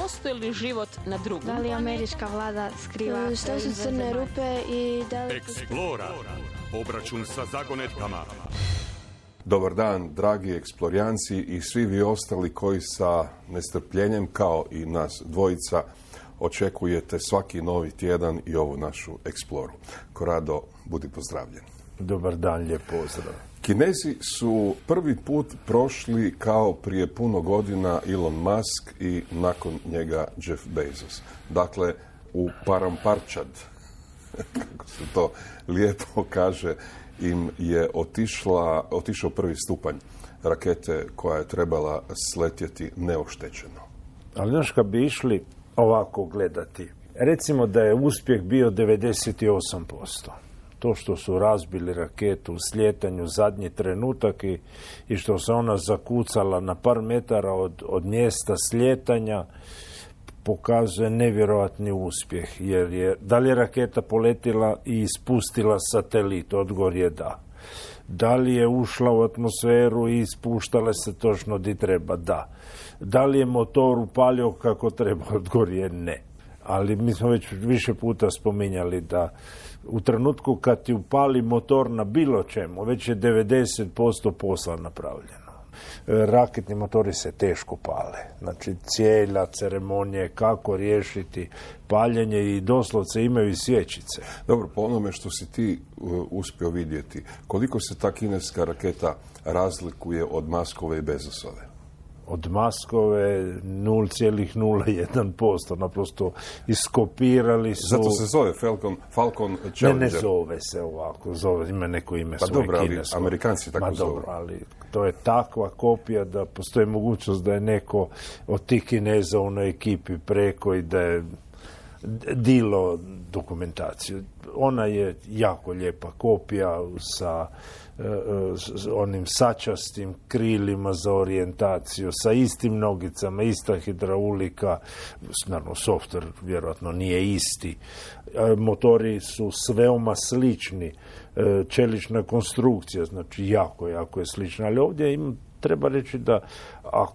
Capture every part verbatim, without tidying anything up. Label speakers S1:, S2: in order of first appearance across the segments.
S1: postoji li život na drugom
S2: Da li američka vlada skriva? Što su crne rupe i da li...
S3: Eksplora. Obračun sa zagonetkama.
S4: Dobar dan, dragi eksplorijanci i svi vi ostali koji sa nestrpljenjem, kao i nas dvojica, očekujete svaki novi tjedan i ovu našu eksploru. Korado, budi pozdravljen.
S5: Dobar dan, lijep pozdrav.
S4: Kinezi su prvi put prošli kao prije puno godina Elon Musk i nakon njega Jeff Bezos. Dakle, u Paramparčad, kako se to lijepo kaže, im je otišla, otišao prvi stupanj rakete koja je trebala sletjeti neoštećeno.
S5: Ali znaš, kad bi išli ovako gledati, recimo da je uspjeh bio devedeset osam posto. To što su razbili raketu u sljetanju zadnji trenutak i, i što se ona zakucala na par metara od, od mjesta sljetanja, pokazuje nevjerojatni uspjeh. Jer je, da li je raketa poletila i ispustila satelit? Odgovor je da. Da li je ušla u atmosferu i ispuštala se točno di treba? Da. Da li je motor upalio kako treba? Odgovor je ne. Ali mi smo već više puta spominjali da u trenutku kad ti upali motor na bilo čemu, već je devedeset posto posla napravljeno. Raketni motori se teško pale. Znači, cijela ceremonija kako riješiti paljenje i doslovce imaju i svječice.
S4: Dobro, po onome što si ti uh, uspio vidjeti, koliko se ta kineska raketa razlikuje od Muskove i Bezosove?
S5: Od Muskove nula zarez nula jedan posto, naprosto iskopirali su...
S4: Zato se zove Falcon, Falcon Challenger.
S5: Ne, ne zove se ovako, zove, ima neko ime
S4: pa
S5: svoje
S4: dobro,
S5: kinesko.
S4: Ali Amerikanci tako
S5: Ma
S4: zovu.
S5: dobro, ali to je takva kopija da postoji mogućnost da je neko od tih Kineza u onoj ekipi preko i da je dilo dokumentaciju. Ona je jako lijepa kopija sa s onim sačastim krilima za orijentaciju, sa istim nogicama, ista hidraulika, naravno softver vjerojatno nije isti. Motori su veoma slični, čelična konstrukcija, znači jako, jako je slična, ali ovdje im treba reći da a,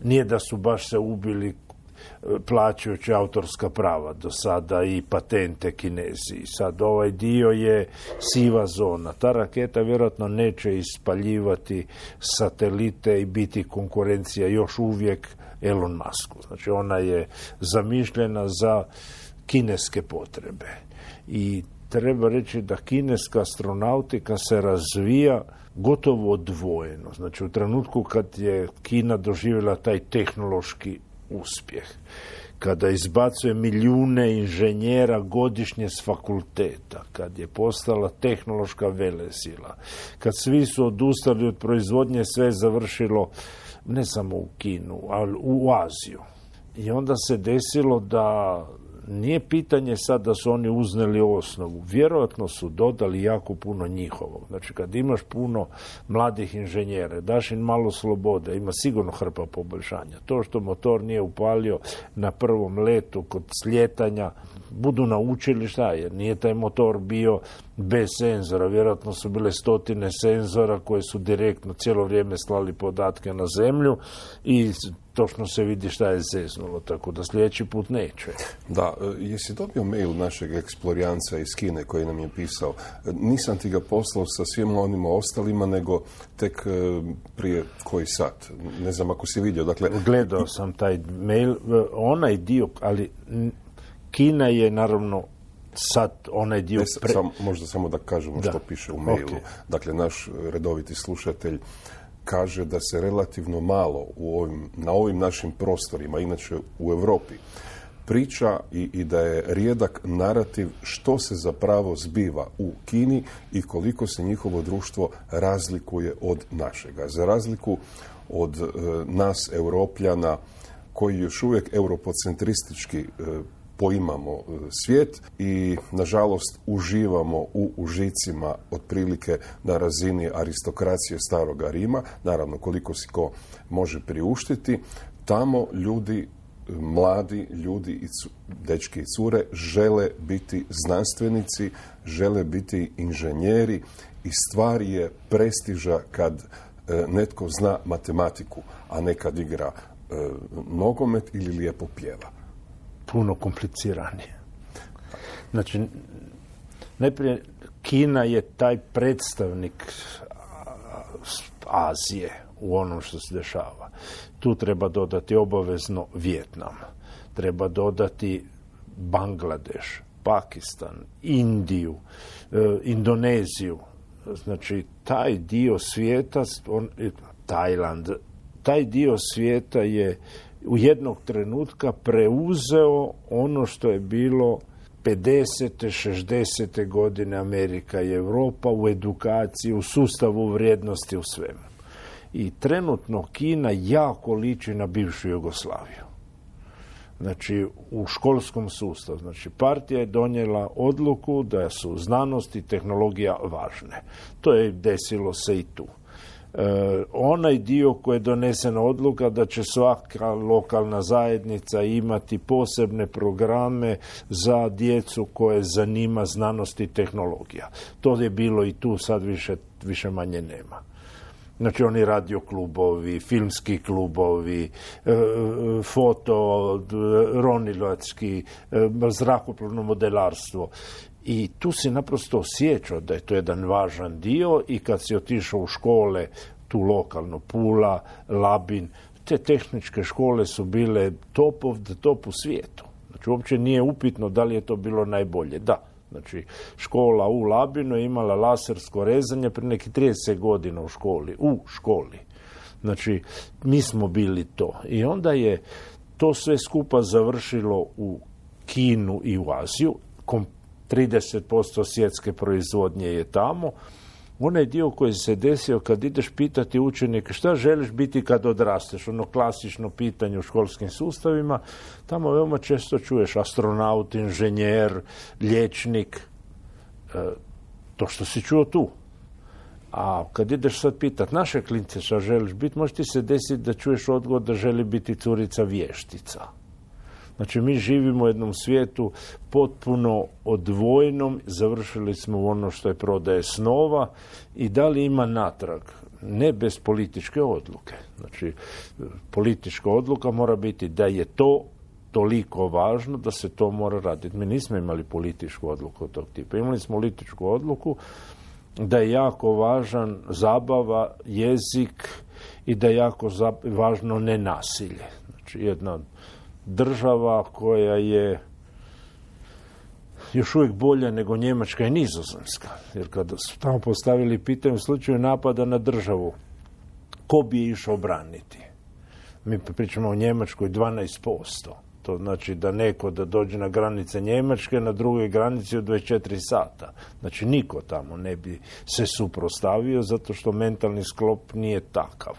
S5: nije da su baš se ubili plaćajući autorska prava do sada i patente Kinezi. Sad ovaj dio je siva zona. Ta raketa vjerojatno neće ispaljivati satelite i biti konkurencija još uvijek Elon Musku. Znači ona je zamišljena za kineske potrebe. I treba reći da kineska astronautika se razvija gotovo odvojeno. Znači u trenutku kad je Kina doživjela taj tehnološki uspjeh, kada izbacuje milijune inženjera godišnje s fakulteta, kad je postala tehnološka velesila, kad svi su odustali od proizvodnje, sve je završilo ne samo u Kinu, ali u Aziju. I onda se desilo da nije pitanje sad da su oni uzneli osnovu. Vjerojatno su dodali jako puno njihovog. Znači, kad imaš puno mladih inženjera, daš im malo slobode, ima sigurno hrpa poboljšanja. To što motor nije upalio na prvom letu kod sljetanja, budu naučili šta je. Nije taj motor bio bez senzora. Vjerojatno su bile stotine senzora koje su direktno cijelo vrijeme slali podatke na zemlju i točno se vidi šta je zeznulo, tako da sljedeći put neće.
S4: Da, jesi dobio mail našeg eksplorijanca iz Kine koji nam je pisao? Nisam ti ga poslao sa svima onima ostalima, nego tek prije koji sat. Ne znam ako si vidio. Dakle,
S5: gledao sam taj mail, onaj dio, ali Kina je naravno sad onaj dio...
S4: Pre... Sam, možda samo da kažemo da. Što piše u mailu. Okay. Dakle, naš redoviti slušatelj kaže da se relativno malo u ovim, na ovim našim prostorima, inače u Europi, priča i, i da je rijedak narativ što se zapravo zbiva u Kini i koliko se njihovo društvo razlikuje od našega. Za razliku od e, nas, Europljana, koji još uvijek europocentristički e, poimamo svijet i, nažalost, uživamo u užicima otprilike na razini aristokracije staroga Rima, naravno koliko si ko može priuštiti, tamo ljudi, mladi ljudi, i cu, dečki i cure, žele biti znanstvenici, žele biti inženjeri i stvar je prestiža kad e, netko zna matematiku, a ne kad igra e, nogomet ili lijepo pjeva?
S5: Puno kompliciranije. Znači, najprije Kina je taj predstavnik Azije u onom što se dešava. Tu treba dodati obavezno Vijetnam, treba dodati Bangladeš, Pakistan, Indiju, e, Indoneziju. Znači, taj dio svijeta, on, Tajland, taj dio svijeta je u jednog trenutka preuzeo ono što je bilo pedesete, šezdesete godine Amerika i Europa u edukaciji, u sustavu vrijednosti, u svemu. I trenutno Kina jako liči na bivšu Jugoslaviju. Znači, u školskom sustavu. Znači, partija je donijela odluku da su znanost i tehnologija važne. To je desilo se i tu. E, onaj dio koji je donesena odluka da će svaka lokalna zajednica imati posebne programe za djecu koje zanima znanost i tehnologija. To je bilo i tu, sad više, više manje nema. Znači, oni radio klubovi, filmski klubovi, foto, ronilački, zrakoplovno modelarstvo. I tu si naprosto osjećao da je to jedan važan dio i kad si otišao u škole, tu lokalno, Pula, Labin, te tehničke škole su bile top of the top u svijetu. Znači, uopće nije upitno da li je to bilo najbolje. Da. Znači, škola u Labinu je imala lasersko rezanje prije nekih trideset godina u školi. U školi. Znači, mi smo bili to. I onda je to sve skupa završilo u Kinu i u Aziju. trideset posto svjetske proizvodnje je tamo. Onaj dio koji se desio kad ideš pitati učenike šta želiš biti kad odrasteš, ono klasično pitanje u školskim sustavima, tamo veoma često čuješ astronaut, inženjer, liječnik, e, to što si čuo tu. A kad ideš sad pitat naše klince šta želiš biti, može ti se desiti da čuješ odgovor da želi biti curica vještica. Znači, mi živimo u jednom svijetu potpuno odvojenom, završili smo u ono što je prodaje snova i da li ima natrag? Ne bez političke odluke. Znači, politička odluka mora biti da je to toliko važno da se to mora raditi. Mi nismo imali političku odluku od tog tipa. Imali smo političku odluku da je jako važan zabava, jezik i da je jako važno nenasilje. Znači, jedna država koja je još uvijek bolja nego Njemačka i Nizozemska. Jer kada su tamo postavili pitanje u slučaju napada na državu, ko bi je išao braniti? Mi pričamo o Njemačkoj dvanaest posto. To znači da neko da dođe na granice Njemačke, na drugoj granici od dvadeset četiri sata. Znači, niko tamo ne bi se suprotstavio zato što mentalni sklop nije takav.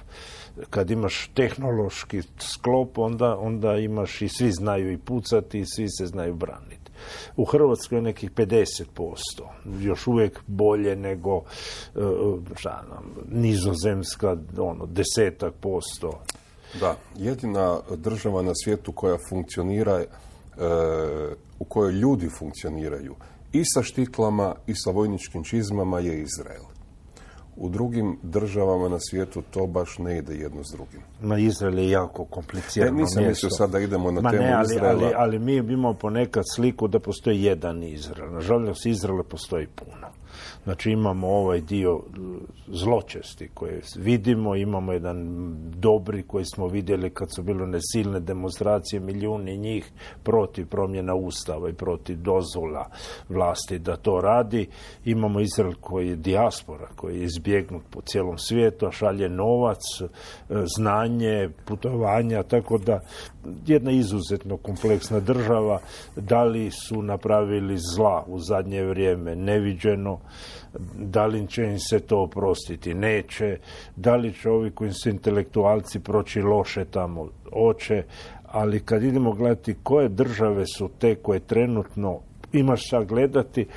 S5: Kad imaš tehnološki sklop, onda, onda imaš i svi znaju i pucati i svi se znaju braniti. U Hrvatskoj je nekih pedeset posto. Još uvijek bolje nego šta nam, Nizozemska, ono, desetak posto.
S4: Da, jedina država na svijetu koja funkcionira, e, u kojoj ljudi funkcioniraju i sa štiklama i sa vojničkim čizmama je Izrael. U drugim državama na svijetu to baš ne ide jedno s drugim.
S5: Ma, Izrael je jako komplicirano
S4: mjesto.
S5: Nisam
S4: mislio sad da idemo na
S5: Ma
S4: temu
S5: ne, ali,
S4: Izraela.
S5: Ali, ali mi imamo ponekad sliku da postoji jedan Izrael. Nažalost, Izraela postoji puno. Znači, imamo ovaj dio zločesti koje vidimo, imamo jedan dobri koji smo vidjeli kad su bile nesilne demonstracije, milijuni njih protiv promjena ustava i protiv dozvola vlasti da to radi. Imamo Izrael koji je dijaspora, koji je izbjegnut po cijelom svijetu, a šalje novac, znanje, putovanja, tako da jedna izuzetno kompleksna država. Da li su napravili zla u zadnje vrijeme? Neviđeno. Da li će im se to oprostiti? Neće. Da li će ovi koji su intelektualci proći loše tamo? Oće. Ali kad idemo gledati koje države su te koje trenutno imaš šta gledati,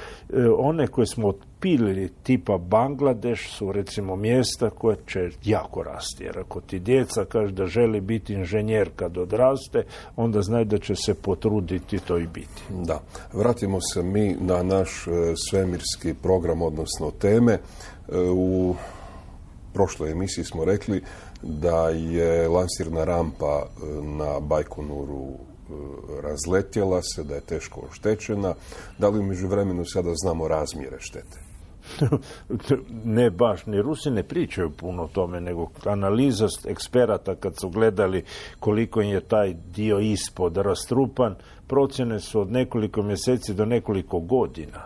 S5: one koje smo otpilili tipa Bangladeš su recimo mjesta koje će jako rasti. Jer ako ti djeca kaže da želi biti inženjer kad odraste, onda znaju da će se potruditi to i biti.
S4: Da. Vratimo se mi na naš svemirski program, odnosno teme. U prošloj emisiji smo rekli da je lansirna rampa na Bajkonuru razletjela se, da je teško oštećena. Da li u međuvremenu sada znamo razmjere štete?
S5: Ne baš, ni Rusi ne pričaju puno o tome, nego analiza eksperata kad su gledali koliko im je taj dio ispod rastrupan, procjene su od nekoliko mjeseci do nekoliko godina.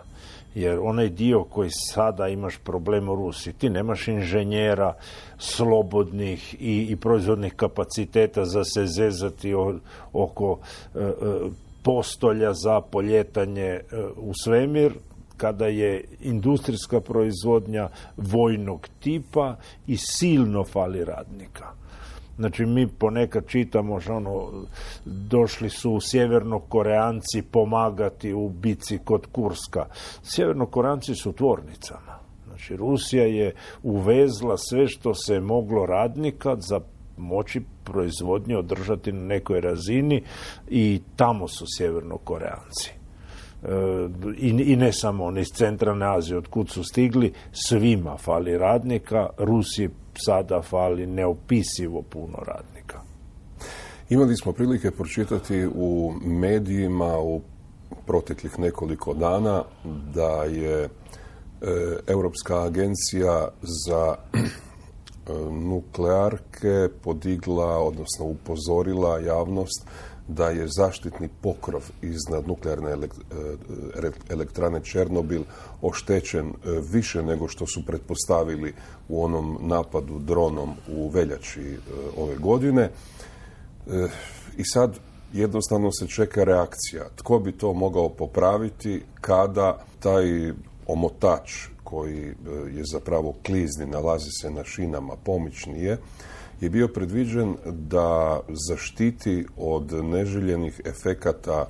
S5: Jer onaj dio koji sada imaš problem u Rusiji, ti nemaš inženjera slobodnih i, i proizvodnih kapaciteta za se zezati o, oko e, e, postolja za poljetanje e, u svemir, kada je industrijska proizvodnja vojnog tipa i silno fali radnika. Znači, mi ponekad čitamo, ono, došli su sjevernokoreanci pomagati u bici kod Kurska. Sjevernokoreanci su u tvornicama. Znači, Rusija je uvezla sve što se moglo radnika za moći proizvodnje održati na nekoj razini i tamo su sjevernokoreanci. I, i ne samo oni iz centralne Azije, od kud su stigli, svima fali radnika, Rusiji sada fali neopisivo puno radnika.
S4: Imali smo prilike pročitati u medijima u proteklih nekoliko dana da je e, Europska agencija za e, nuklearke podigla, odnosno upozorila javnost da je zaštitni pokrov iznad nuklearne elektrane Černobil oštećen više nego što su pretpostavili u onom napadu dronom u veljači ove godine. I sad jednostavno se čeka reakcija. Tko bi to mogao popraviti kada taj omotač koji je zapravo klizni, nalazi se na šinama, pomični je, je bio predviđen da zaštiti od neželjenih efekata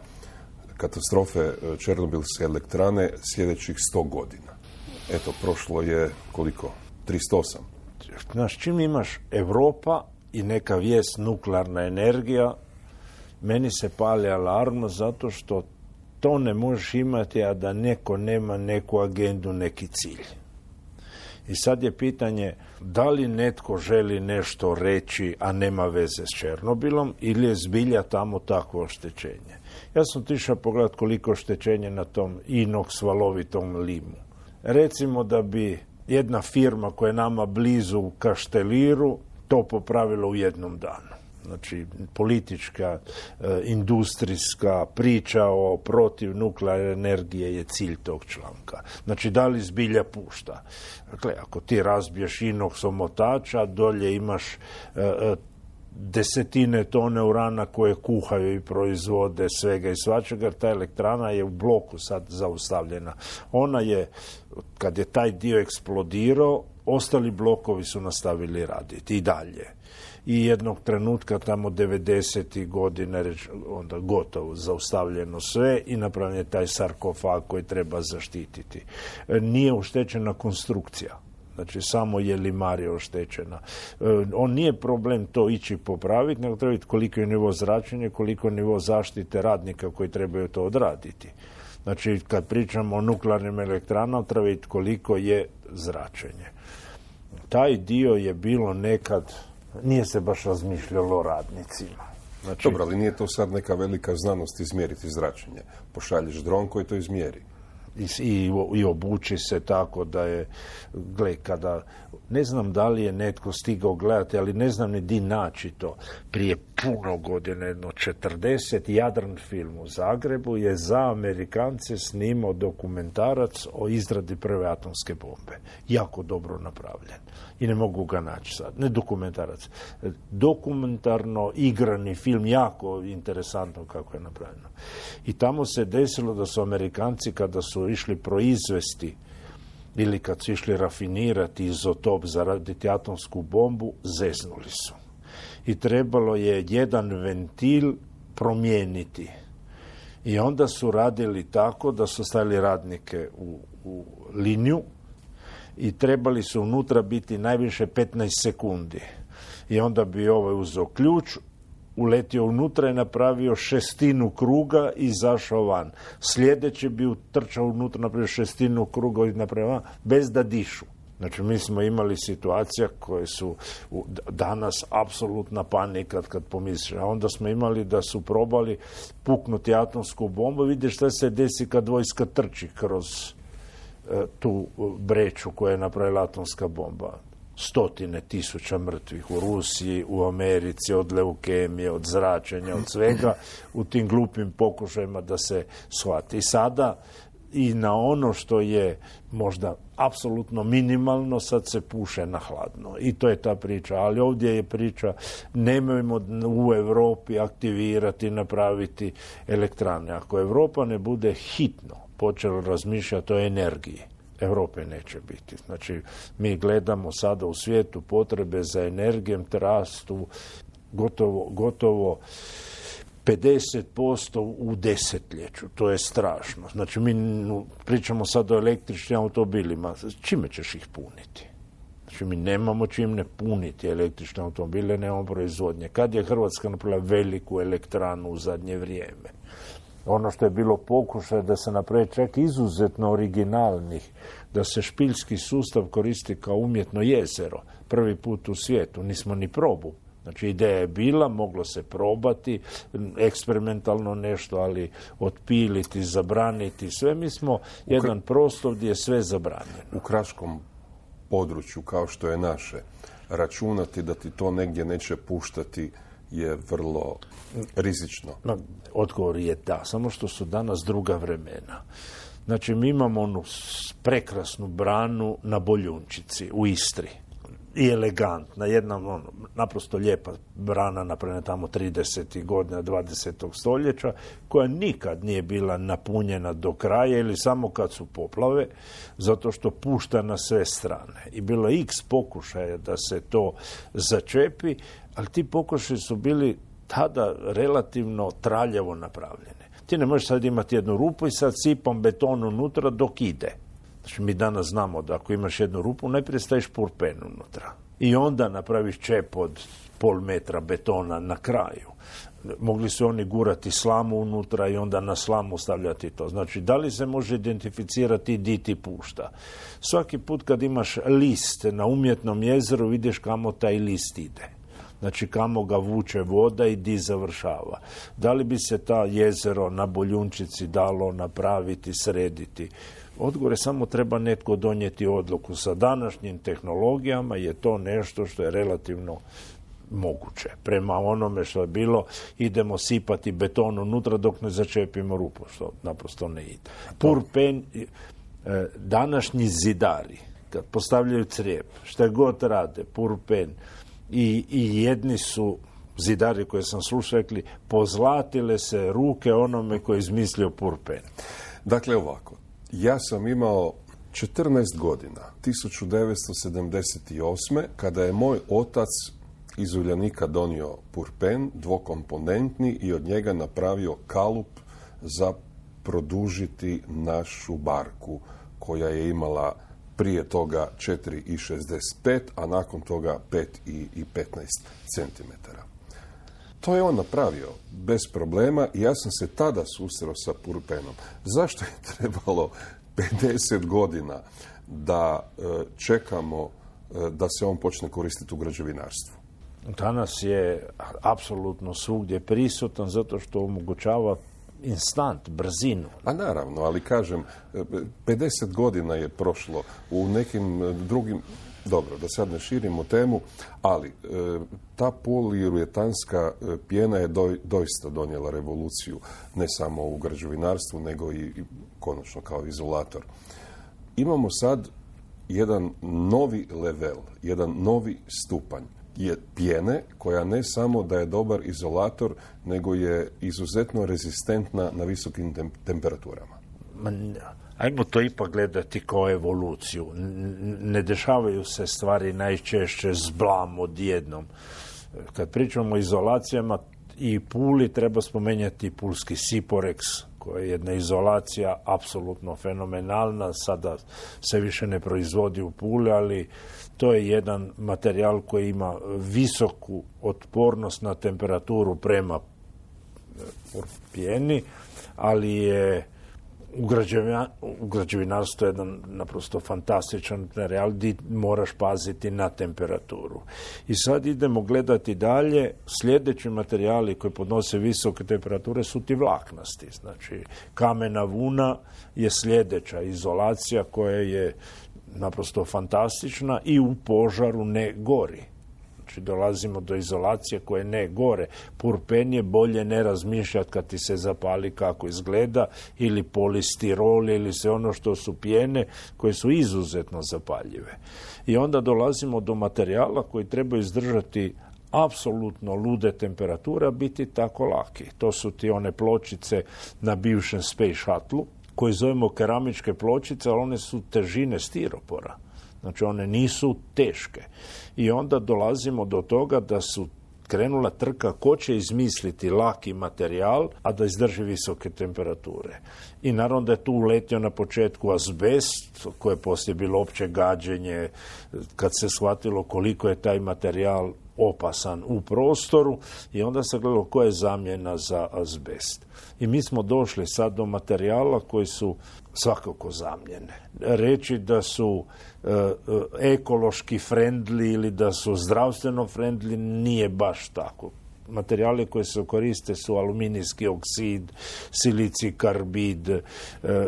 S4: katastrofe Černobilske elektrane sljedećih sto godina. Eto, prošlo je koliko? tristo osam.
S5: Znaš, čim imaš Europa i neka vijest nuklearna energija, meni se pali alarm zato što to ne možeš imati, a da neko nema neku agendu, neki cilj. I sad je pitanje da li netko želi nešto reći, a nema veze s Černobilom, ili je zbilja tamo takvo oštećenje. Ja sam otišao pogledati koliko oštećenje na tom inox valovitom limu. Recimo da bi jedna firma koja je nama blizu u Kašteliru to popravila u jednom danu. Znači, politička, e, industrijska priča o protiv nuklearne energije je cilj tog članka. Znači, da li zbilja pušta? Dakle, ako ti razbiješ inox omotača, dolje imaš e, e, desetine tone urana koje kuhaju i proizvode svega i svačega, ta elektrana je u bloku sad zaustavljena. Ona je, kad je taj dio eksplodirao, ostali blokovi su nastavili raditi i dalje. I jednog trenutka tamo devedesetih godina onda gotovo zaustavljeno sve i napravljen je taj sarkofag koji treba zaštititi. Nije oštećena konstrukcija. Znači, samo je limarija oštećena. On nije problem to ići popraviti, nego treba vidjeti koliko je nivo zračenja, koliko je nivo zaštite radnika koji trebaju to odraditi. Znači, kad pričamo o nuklearnim elektranama, treba vidjeti koliko je zračenje. Taj dio je bilo nekad, nije se baš razmišljalo o radnicima. Znači,
S4: dobro, ali nije to sad neka velika znanost izmjeriti zračenje. Pošalješ dron koji to izmjeri.
S5: I, i, i obuči se tako da je, gle, kada, ne znam da li je netko stigao gledati, ali ne znam ni di naći to. Prije puno godine, jedno četrdeset, Jadran film u Zagrebu je za Amerikance snimao dokumentarac o izradi prve atomske bombe. Jako dobro napravljen. I ne mogu ga naći sad. Ne dokumentarac. Dokumentarno igrani film, jako interesantno kako je napravljeno. I tamo se desilo da su Amerikanci, kada su išli proizvesti ili kad su išli rafinirati izotop za raditi atomsku bombu, zeznuli su. I trebalo je jedan ventil promijeniti. I onda su radili tako da su stavili radnike u, u liniju i trebali su unutra biti najviše petnaest sekundi. I onda bi ovaj uzeo ključ, uletio unutra i napravio šestinu kruga i izašao van. Sljedeći bi utrčao unutra, napravio šestinu kruga i napravio van, bez da dišu. Znači, mi smo imali situacija koje su danas apsolutna panika kad pomisliš. A onda smo imali da su probali puknuti atomsku bombu. Vidiš šta se desi kad vojska trči kroz e, tu breću koja je napravila atomska bomba. Stotine tisuća mrtvih u Rusiji, u Americi, od leukemije, od zračenja, od svega, u tim glupim pokušajima da se shvati. I sada i na ono što je možda apsolutno minimalno, sad se puše na hladno. I to je ta priča. Ali ovdje je priča, nemojmo u Europi aktivirati, napraviti elektrane. Ako Europa ne bude hitno počela razmišljati o energiji, Europe neće biti. Znači, mi gledamo sada u svijetu potrebe za energijom rastu gotovo, gotovo pedeset posto u desetljeću. To je strašno. Znači, mi pričamo sad o električnim automobilima. Čime ćeš ih puniti? Znači, mi nemamo čim ne puniti električne automobile, nemamo proizvodnje. Kad je Hrvatska napravila veliku elektranu u zadnje vrijeme? Ono što je bilo pokušaj da se napravi čak izuzetno originalnih, da se špiljski sustav koristi kao umjetno jezero. Prvi put u svijetu. Nismo ni probu. Znači, ideja je bila, moglo se probati, eksperimentalno nešto, ali otpiliti, zabraniti, sve. Mi smo jedan prostor gdje je sve zabranjeno.
S4: U kraškom području, kao što je naše, računati da ti to negdje neće puštati je vrlo rizično.
S5: No, odgovor je da, samo što su danas druga vremena. Znači, mi imamo onu prekrasnu branu na Boljunčici u Istri. I elegantna, jedna ono, naprosto lijepa brana napravljena tamo tridesetih godina dvadesetog stoljeća, koja nikad nije bila napunjena do kraja ili samo kad su poplave, zato što pušta na sve strane. I bilo je x pokušaja da se to začepi, ali ti pokušaji su bili tada relativno traljavo napravljene. Ti ne možeš sad imati jednu rupu i sad sipom beton unutra dok ide. Znači, mi danas znamo da ako imaš jednu rupu, najprije staviš purpen unutra. I onda napraviš čep od pol metra betona na kraju. Mogli su oni gurati slamu unutra i onda na slamu stavljati to. Znači, da li se može identificirati di ti pušta? Svaki put kad imaš list na umjetnom jezeru, vidiš kamo taj list ide. Znači, kamo ga vuče voda i di završava. Da li bi se ta jezero na Boljunčici dalo napraviti, srediti? Odgovor je samo treba netko donijeti odluku. Sa današnjim tehnologijama je to nešto što je relativno moguće. Prema onome što je bilo, idemo sipati beton unutra dok ne začepimo rupu, što naprosto ne ide. Purpen, današnji zidari, kad postavljaju crijep, šta god rade, purpen, i, i jedni su zidari koje sam slušao rekli, pozlatile se ruke onome koji je izmislio purpen.
S4: Dakle, ovako. Ja sam imao četrnaest godina, tisuću devetsto sedamdeset osme. kada je moj otac iz Uljanika donio purpen, dvokomponentni, i od njega napravio kalup za produžiti našu barku, koja je imala prije toga četiri i šezdeset pet, a nakon toga pet i petnaest centimetara. To je on napravio bez problema i ja sam se tada susreo sa purpenom. Zašto je trebalo pedeset godina da e, čekamo e, da se on počne koristiti u građevinarstvu?
S5: Danas je apsolutno svugdje prisutan zato što omogućava instant, brzinu.
S4: A naravno, ali kažem, pedeset godina je prošlo u nekim drugim... Dobro, da sad ne širimo temu, ali e, ta poliuretanska pjena je do, doista donijela revoluciju, ne samo u građevinarstvu, nego i, i konačno kao izolator. Imamo sad jedan novi level, jedan novi stupanj je pjene koja ne samo da je dobar izolator, nego je izuzetno rezistentna na visokim tem- temperaturama.
S5: Ajmo to ipak gledati kao evoluciju. Ne dešavaju se stvari najčešće zblam odjednom. Kad pričamo o izolacijama i Puli, treba spomenjati pulski Siporex, koja je jedna izolacija apsolutno fenomenalna. Sada se više ne proizvodi u Puli, ali to je jedan materijal koji ima visoku otpornost na temperaturu prema pjeni, ali je u, građevina, u građevinarstvu je jedan naprosto fantastičan materijal gdje moraš paziti na temperaturu. I sad idemo gledati dalje. Sljedeći materijali koji podnose visoke temperature su ti vlaknasti. Znači, kamena vuna je sljedeća izolacija koja je naprosto fantastična i u požaru ne gori. Znači, dolazimo do izolacije koje ne gore. Purpen je bolje ne razmišljati kad ti se zapali kako izgleda, ili polistirol, ili sve ono što su pjene koje su izuzetno zapaljive. I onda dolazimo do materijala koji treba izdržati apsolutno lude temperature, a biti tako laki. To su ti one pločice na bivšem Space Shuttle, koje zovemo keramičke pločice, ali one su težine stiropora. Znači, one nisu teške. I onda dolazimo do toga da su krenula trka ko će izmisliti laki materijal, a da izdrži visoke temperature. I naravno da je tu uletio na početku azbest, koje je poslije bilo opće gađenje, kad se shvatilo koliko je taj materijal opasan u prostoru, i onda se gledalo koja je zamjena za azbest. I mi smo došli sad do materijala koji su svakako zamjene. Reći da su e, ekološki friendly ili da su zdravstveno friendly nije baš tako. Materijali koji se koriste su aluminijski oksid, silici karbid, e, e,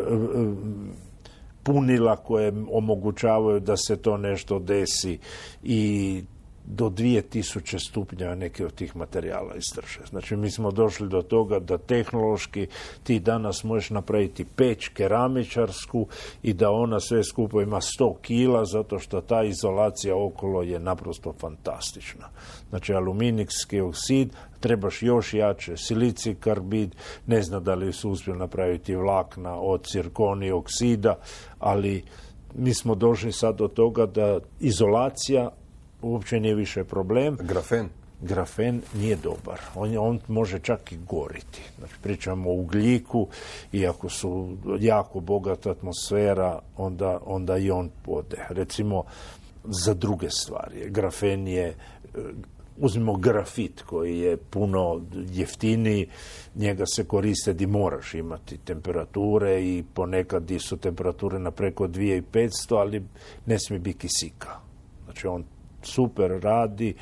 S5: punila koje omogućavaju da se to nešto desi, i do dvije tisuće stupnjeva neke od tih materijala izdrže. Znači, mi smo došli do toga da tehnološki ti danas možeš napraviti peć keramičarsku i da ona sve skupo ima sto kila, zato što ta izolacija okolo je naprosto fantastična. Znači, aluminijski oksid, trebaš još jače, silici karbid, ne znam da li su uspjeli napraviti vlakna od cirkoni oksida, ali mi smo došli sad do toga da izolacija uopće nije više problem.
S4: Grafen?
S5: Grafen nije dobar. On, on može čak i goriti. Znači, pričamo o ugljiku, i ako su jako bogata atmosfera, onda, onda i on ode. Recimo, za druge stvari. Grafen je, uzmimo grafit koji je puno jeftiniji, njega se koriste di moraš imati temperature, i ponekad di su temperature na preko dvije tisuće petsto, ali ne smije biti kisika. Znači, on super radi,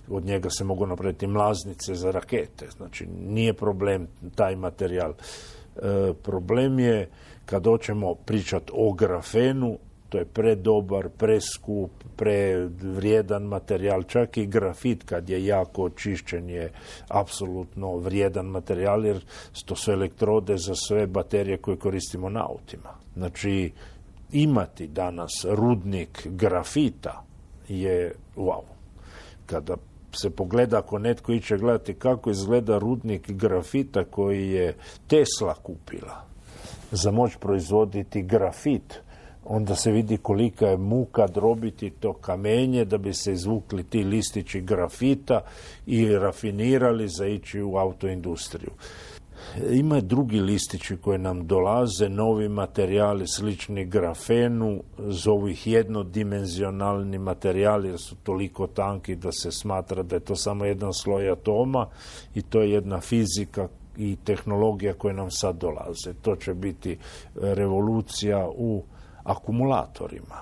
S5: od njega se mogu napraviti mlaznice za rakete. Znači, nije problem taj materijal. E, problem je kad hoćemo pričati o grafenu, to je predobar, preskup, prevrijedan materijal. Čak i grafit kad je jako očišćen je apsolutno vrijedan materijal, jer to su elektrode za sve baterije koje koristimo na autima. Znači, imati danas rudnik grafita je wow. Kada se pogleda, ako netko iće gledati kako izgleda rudnik grafita koji je Tesla kupila za moć proizvoditi grafit, onda se vidi kolika je muka drobiti to kamenje da bi se izvukli ti listići grafita i rafinirali za ići u autoindustriju. Ima drugi listići koji nam dolaze, novi materijali slični grafenu, zovu ih jednodimenzionalni materijali jer su toliko tanki da se smatra da je to samo jedan sloj atoma, i to je jedna fizika i tehnologija koja nam sad dolaze. To će biti revolucija u akumulatorima.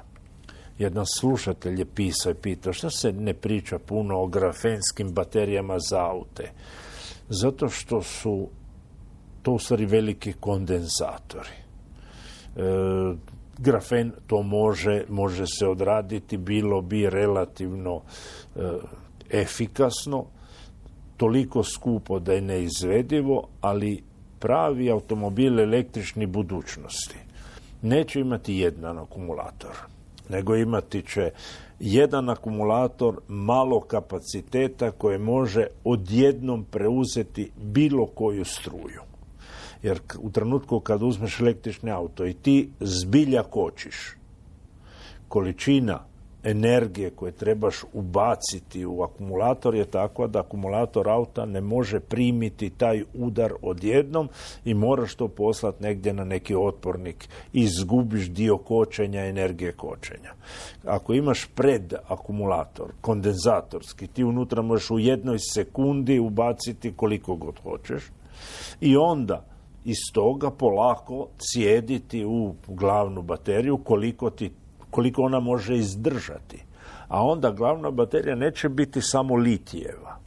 S5: Jedan slušatelj je pisao i pitao što se ne priča puno o grafenskim baterijama za aute. Zato što su to u stvari veliki kondenzatori. E, grafen to može, može se odraditi, bilo bi relativno e, efikasno, toliko skupo da je neizvedivo, ali pravi automobil električni budućnosti neće imati jedan akumulator, nego imati će jedan akumulator malo kapaciteta koje može odjednom preuzeti bilo koju struju. Jer u trenutku kad uzmeš električni auto i ti zbilja kočiš, količina energije koje trebaš ubaciti u akumulator je takva da akumulator auta ne može primiti taj udar odjednom i moraš to poslati negdje na neki otpornik i izgubiš dio kočenja, energije kočenja. Ako imaš pred akumulator, kondenzatorski, ti unutra možeš u jednoj sekundi ubaciti koliko god hoćeš i onda iz toga polako cijediti u glavnu bateriju koliko, ti, koliko ona može izdržati. A onda glavna baterija neće biti samo litijeva,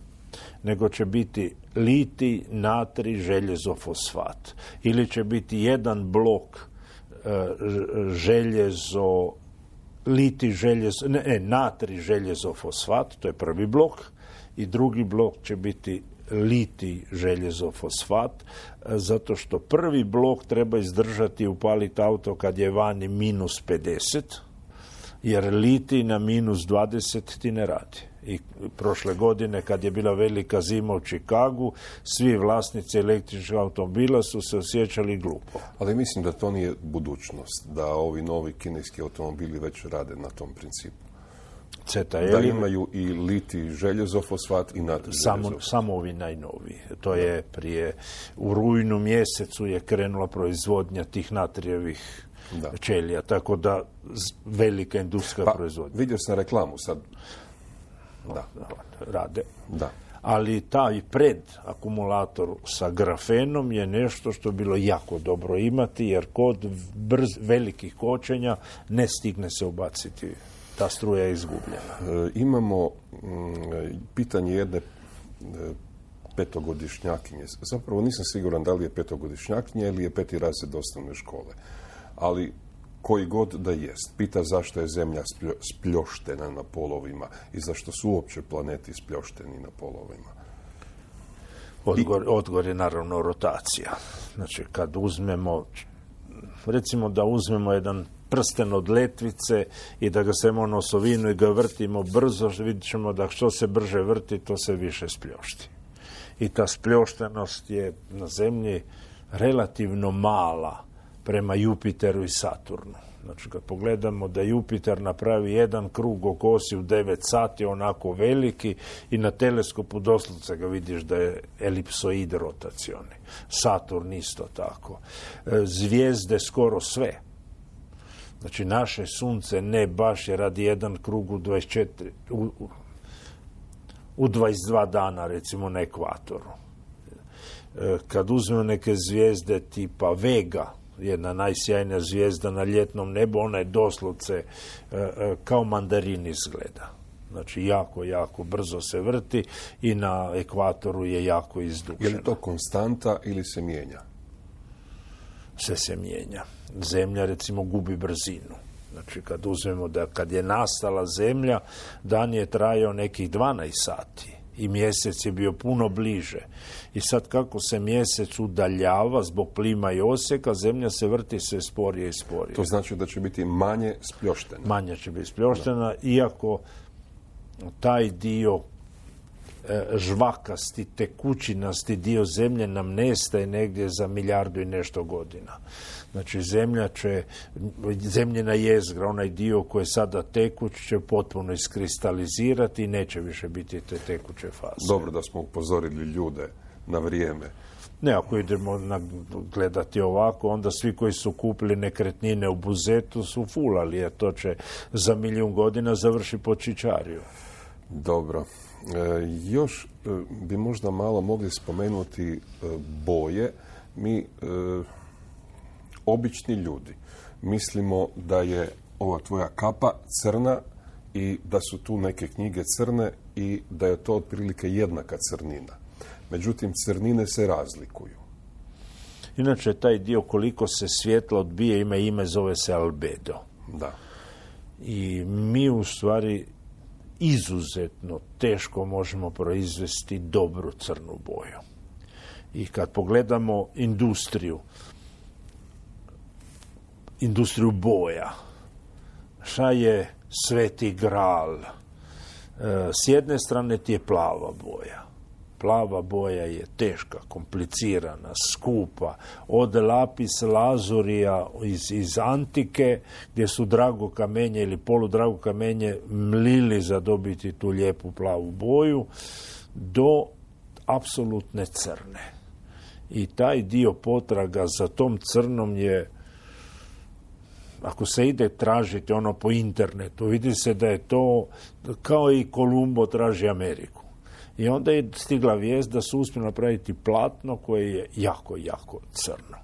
S5: nego će biti litij, natrij, željezo, fosfat. Ili će biti jedan blok e, željezo, litij, željezo, ne, ne, natrij, željezo, fosfat, to je prvi blok, i drugi blok će biti litij, željezo, fosfat, zato što prvi blok treba izdržati i upaliti auto kad je vani minus pedeset, jer litij na minus dvadeset ti ne radi. I prošle godine, kad je bila velika zima u Čikagu, svi vlasnici električnih automobila su se osjećali glupo.
S4: Ali mislim da to nije budućnost, da ovi novi kineski automobili već rade na tom principu.
S5: C T L
S4: Da imaju i litij, željezo, fosfat i natrij.
S5: Samo, samo ovi najnoviji. To je prije, u rujnu mjesecu je krenula proizvodnja tih natrijevih da. ćelija, tako da velika industrijska
S4: pa,
S5: proizvodnja.
S4: Vidio sam reklamu sad. Da.
S5: Rade.
S4: Da.
S5: Ali taj pred akumulator sa grafenom je nešto što je bilo jako dobro imati, jer kod brz, velikih kočenja ne stigne se ubaciti. Ta struja je izgubljena.
S4: E, imamo m, pitanje jedne e, petogodišnjakinje. Zapravo nisam siguran da li je petogodišnjakinja ili je peti razred osnovne škole. Ali koji god da jest. Pita zašto je Zemlja spljoštena na polovima i zašto su uopće planeti spljošteni na polovima.
S5: Odgovor, odgovor je naravno rotacija. Znači, kad uzmemo, recimo da uzmemo jedan prsten od letvice i da ga stavimo na osovinu i ga vrtimo brzo, vidjet ćemo da što se brže vrti, to se više spljošti. I ta spljoštenost je na Zemlji relativno mala prema Jupiteru i Saturnu. Znači, kad pogledamo da Jupiter napravi jedan krug oko osi u devet sati, onako veliki, i na teleskopu doslovce ga vidiš da je elipsoid rotacioni. Saturn isto tako. Zvijezde skoro sve. Znači, naše sunce ne baš je radi jedan krug u dvadeset četiri, u, u dvadeset dva dana, recimo, na ekvatoru. Kad uzmemo neke zvijezde tipa Vega, jedna najsjajnija zvijezda na ljetnom nebu, ona je doslovce kao mandarin izgleda. Znači, jako, jako brzo se vrti i na ekvatoru je jako izdušena.
S4: Je li to konstanta ili se mijenja?
S5: Sve se mijenja. Zemlja, recimo, gubi brzinu. Znači, kad uzmemo da kad je nastala Zemlja, dan je trajao nekih dvanaest sati i mjesec je bio puno bliže. I sad kako se mjesec udaljava zbog plima i oseka, Zemlja se vrti sve sporije i sporije.
S4: To znači da će biti manje spljoštena.
S5: Manje će biti spljoštena, da. Iako taj dio žvakasti, tekućinasti dio Zemlje nam nestaje negdje za milijardu i nešto godina. Znači, Zemlja će, zemljina jezgra, onaj dio koji je sada tekuć, će potpuno iskristalizirati i neće više biti te tekuće faze.
S4: Dobro da smo upozorili ljude na vrijeme.
S5: Ne, ako idemo na, gledati ovako, onda svi koji su kupili nekretnine u Buzetu su fulali, jer to će za milijun godina završiti pod Čičariju.
S4: Dobro. E, još e, bi možda malo mogli spomenuti e, boje. Mi, e, obični ljudi, mislimo da je ova tvoja kapa crna i da su tu neke knjige crne i da je to otprilike jednaka crnina. Međutim, crnine se razlikuju.
S5: Inače, taj dio koliko se svjetla odbije ima ime, zove se albedo.
S4: Da.
S5: I mi u stvari izuzetno teško možemo proizvesti dobru crnu boju. I kad pogledamo industriju, industriju boja, šta je sveti gral? E, s jedne strane ti je plava boja. Plava boja je teška, komplicirana, skupa. Od lapis lazurija iz, iz antike, gdje su drago kamenje ili poludrago kamenje mlili za dobiti tu lijepu plavu boju, do apsolutne crne. I taj dio potraga za tom crnom je, ako se ide tražiti ono po internetu, vidi se da je to kao i Kolumbo traži Ameriku. I onda je stigla vijest da su uspjeli napraviti platno koje je jako, jako crno.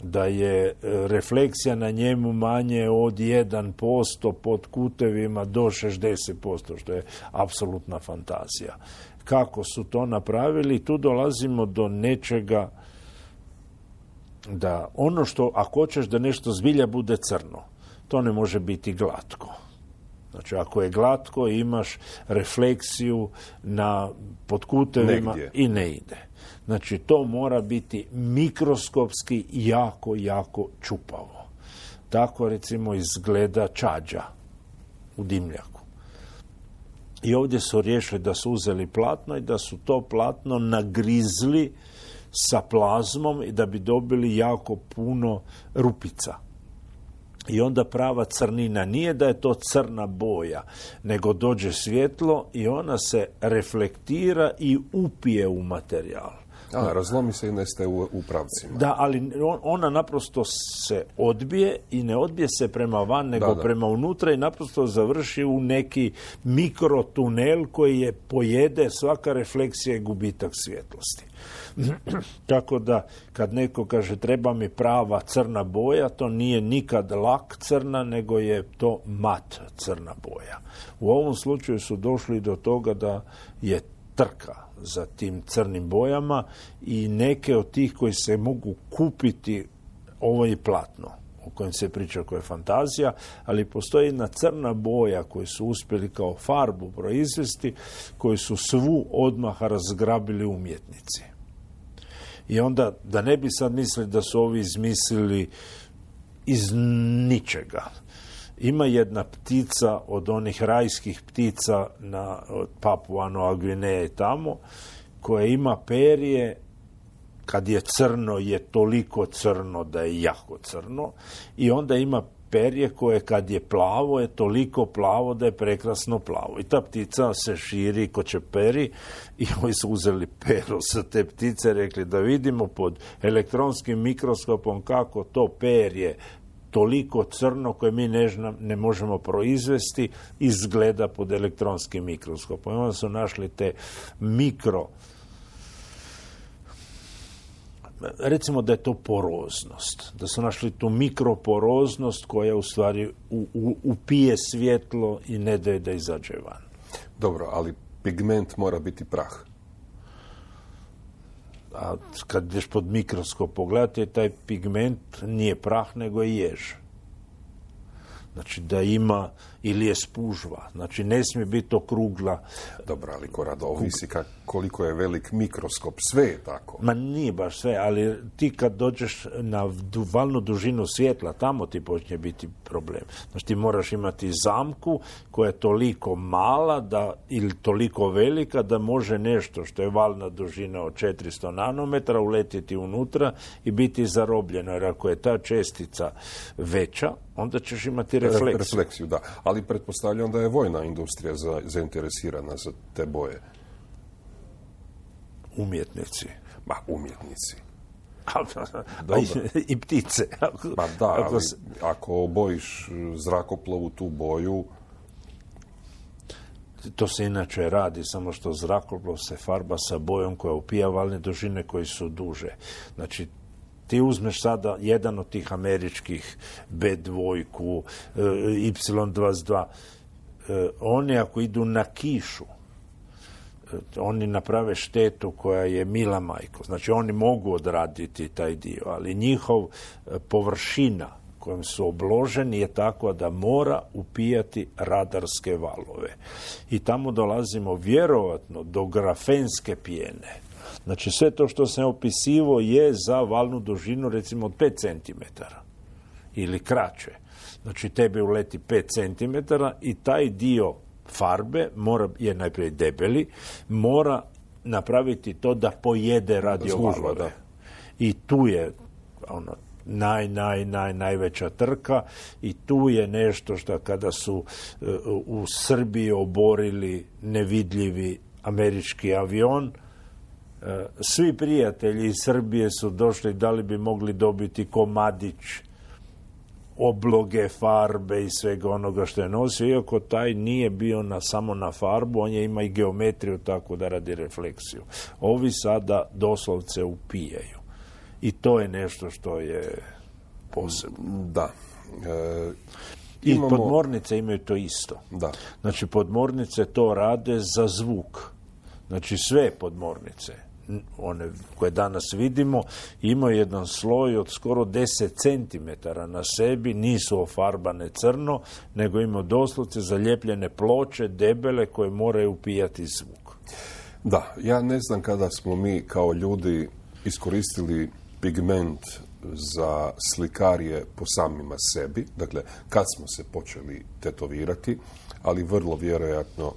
S5: Da je refleksija na njemu manje od jedan posto pod kutevima do šezdeset posto, što je apsolutna fantazija. Kako su to napravili, tu dolazimo do nečega da ono što, ako hoćeš da nešto zbilja bude crno, to ne može biti glatko. Znači, ako je glatko, imaš refleksiju na podkutevima i ne ide. Znači, to mora biti mikroskopski jako, jako čupavo. Tako, recimo, izgleda čađa u dimljaku. I ovdje su riješili da su uzeli platno i da su to platno nagrizli sa plazmom i da bi dobili jako puno rupica. I onda prava crnina nije da je to crna boja, nego dođe svjetlo i ona se reflektira i upije u materijal.
S4: A, razlomi se i nestaje u, u pravcima.
S5: Da, ali ona naprosto se odbije i ne odbije se prema van, nego da, da. prema unutra i naprosto završi u neki mikrotunel koji je pojede, svaka refleksija i gubitak svjetlosti. Tako da, kad neko kaže treba mi prava crna boja, to nije nikad lak crna, nego je to mat crna boja. U ovom slučaju su došli do toga da je trka za tim crnim bojama i neke od tih koji se mogu kupiti, ovo je platno o kojem se priča koja je fantazija, ali postoji jedna crna boja koju su uspjeli kao farbu proizvesti, koju su svu odmah razgrabili umjetnici. I onda, da ne bi sad mislili da su ovi izmislili iz ničega. Ima jedna ptica od onih rajskih ptica na Papua Nova Gvineja i tamo, koja ima perje, kad je crno je toliko crno da je jako crno, i onda ima perje koje kad je plavo je toliko plavo da je prekrasno plavo. I ta ptica se širi ko čeperi i oni su uzeli pero sa te ptice, rekli da vidimo pod elektronskim mikroskopom kako to perje toliko crno koje mi ne, ne možemo proizvesti izgleda pod elektronskim mikroskopom. I onda su našli te mikro, recimo da je to poroznost, da su našli tu mikroporoznost koja u stvari u, u, upije svjetlo i ne daje da izađe van.
S4: Dobro, ali pigment mora biti prah.
S5: A kad ideš pod mikroskop pogledate, taj pigment nije prah, nego je jež. Znači da ima, ili je spužva. Znači ne smije biti okrugla.
S4: Dobro, ali Korado, ovisi kak, koliko je velik mikroskop. Sve je tako.
S5: Ma nije baš sve, ali ti kad dođeš na valnu dužinu svjetla, tamo ti počne biti problem. Znači ti moraš imati zamku koja je toliko mala da, ili toliko velika da može nešto što je valna dužina od četiristo nanometara uletiti unutra i biti zarobljeno. Jer ako je ta čestica veća, onda ćeš imati refleksiju.
S4: Refleksiju, da. Ali pretpostavljam da je vojna industrija za, zainteresirana za te boje.
S5: Umjetnici.
S4: Ma, umjetnici.
S5: I, i ptice.
S4: Pa da, ali ako obojiš zrakoplovu tu boju...
S5: To se inače radi, samo što zrakoplov se farba sa bojom koja upija valne dužine koji su duže. Znači, ti uzmeš sada jedan od tih američkih be dva, ips dvadeset dva, oni ako idu na kišu, oni naprave štetu koja je mila majko. Znači oni mogu odraditi taj dio, ali njihov površina kojom su obloženi je takva da mora upijati radarske valove. I tamo dolazimo vjerovatno do grafenske pjene. Znači sve to što sam opisivo je za valnu dužinu recimo od pet centimetara ili kraće. Znači tebe uleti pet centimetara i taj dio farbe mora, je najprije debeli, mora napraviti to da pojede radiovalove. I tu je ono, naj, naj, naj, najveća trka i tu je nešto što kada su uh, u Srbiji oborili nevidljivi američki avion, uh, svi prijatelji iz Srbije su došli da li bi mogli dobiti komadić obloge, farbe i svega onoga što je nosio, iako taj nije bio na, samo na farbu, on je ima i geometriju tako da radi refleksiju. Ovi sada doslovce upijaju. I to je nešto što je posebno.
S4: Da. E,
S5: imamo... I podmornice imaju to isto.
S4: Da.
S5: Znači, podmornice to rade za zvuk. Znači, sve podmornice, one koje danas vidimo, imaju jedan sloj od skoro deset centimetara na sebi, nisu ofarbane crno, nego imaju doslovce zalijepljene ploče, debele, koje moraju upijati zvuk.
S4: Da, ja ne znam kada smo mi kao ljudi iskoristili pigment za slikarije po samima sebi, dakle, kad smo se počeli tetovirati, ali vrlo vjerojatno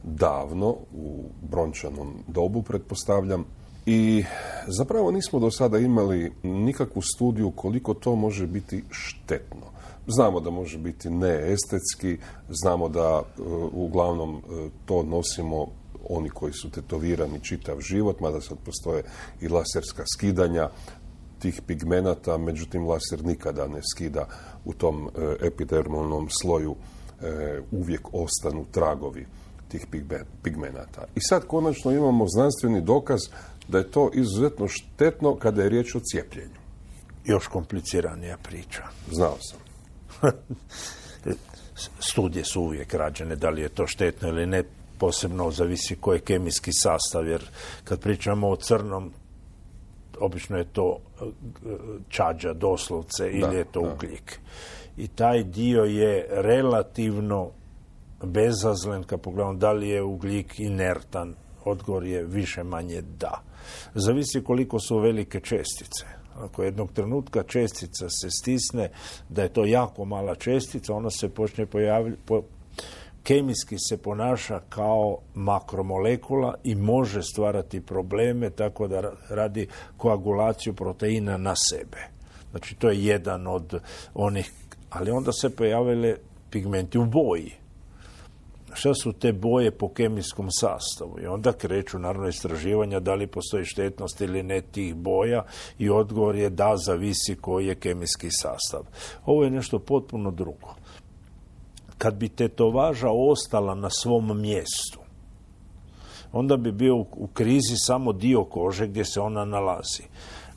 S4: davno, u brončanom dobu, pretpostavljam. I zapravo nismo do sada imali nikakvu studiju koliko to može biti štetno. Znamo da može biti neestetski, znamo da uh, uglavnom uh, to nosimo oni koji su tetovirani čitav život, mada sad postoje i laserska skidanja tih pigmenata, međutim laser nikada ne skida u tom uh, epidermalnom sloju, uh, uvijek ostanu tragovi tih pigmenata. I sad konačno imamo znanstveni dokaz da je to izuzetno štetno kada je riječ o cijepljenju.
S5: Još kompliciranija priča.
S4: Znao sam.
S5: Studije su uvijek rađene, da li je to štetno ili ne, posebno zavisi koji je kemijski sastav, jer kad pričamo o crnom, obično je to čađa doslovce ili da, je to da. ugljik. I taj dio je relativno bezazlen, kad pogledamo da li je ugljik inertan, odgovor je više manje da. Zavisi koliko su velike čestice. Ako jednog trenutka čestica se stisne, da je to jako mala čestica, ona se počne pojavljati, po, kemijski se ponaša kao makromolekula i može stvarati probleme tako da radi koagulaciju proteina na sebe. Znači, to je jedan od onih, ali onda se pojavile pigmenti u boji. Šta su te boje po kemijskom sastavu? I onda kreću naravno istraživanja da li postoji štetnost ili ne tih boja i odgovor je da, zavisi koji je kemijski sastav. Ovo je nešto potpuno drugo. Kad bi tetovaža ostala na svom mjestu, onda bi bio u krizi samo dio kože gdje se ona nalazi.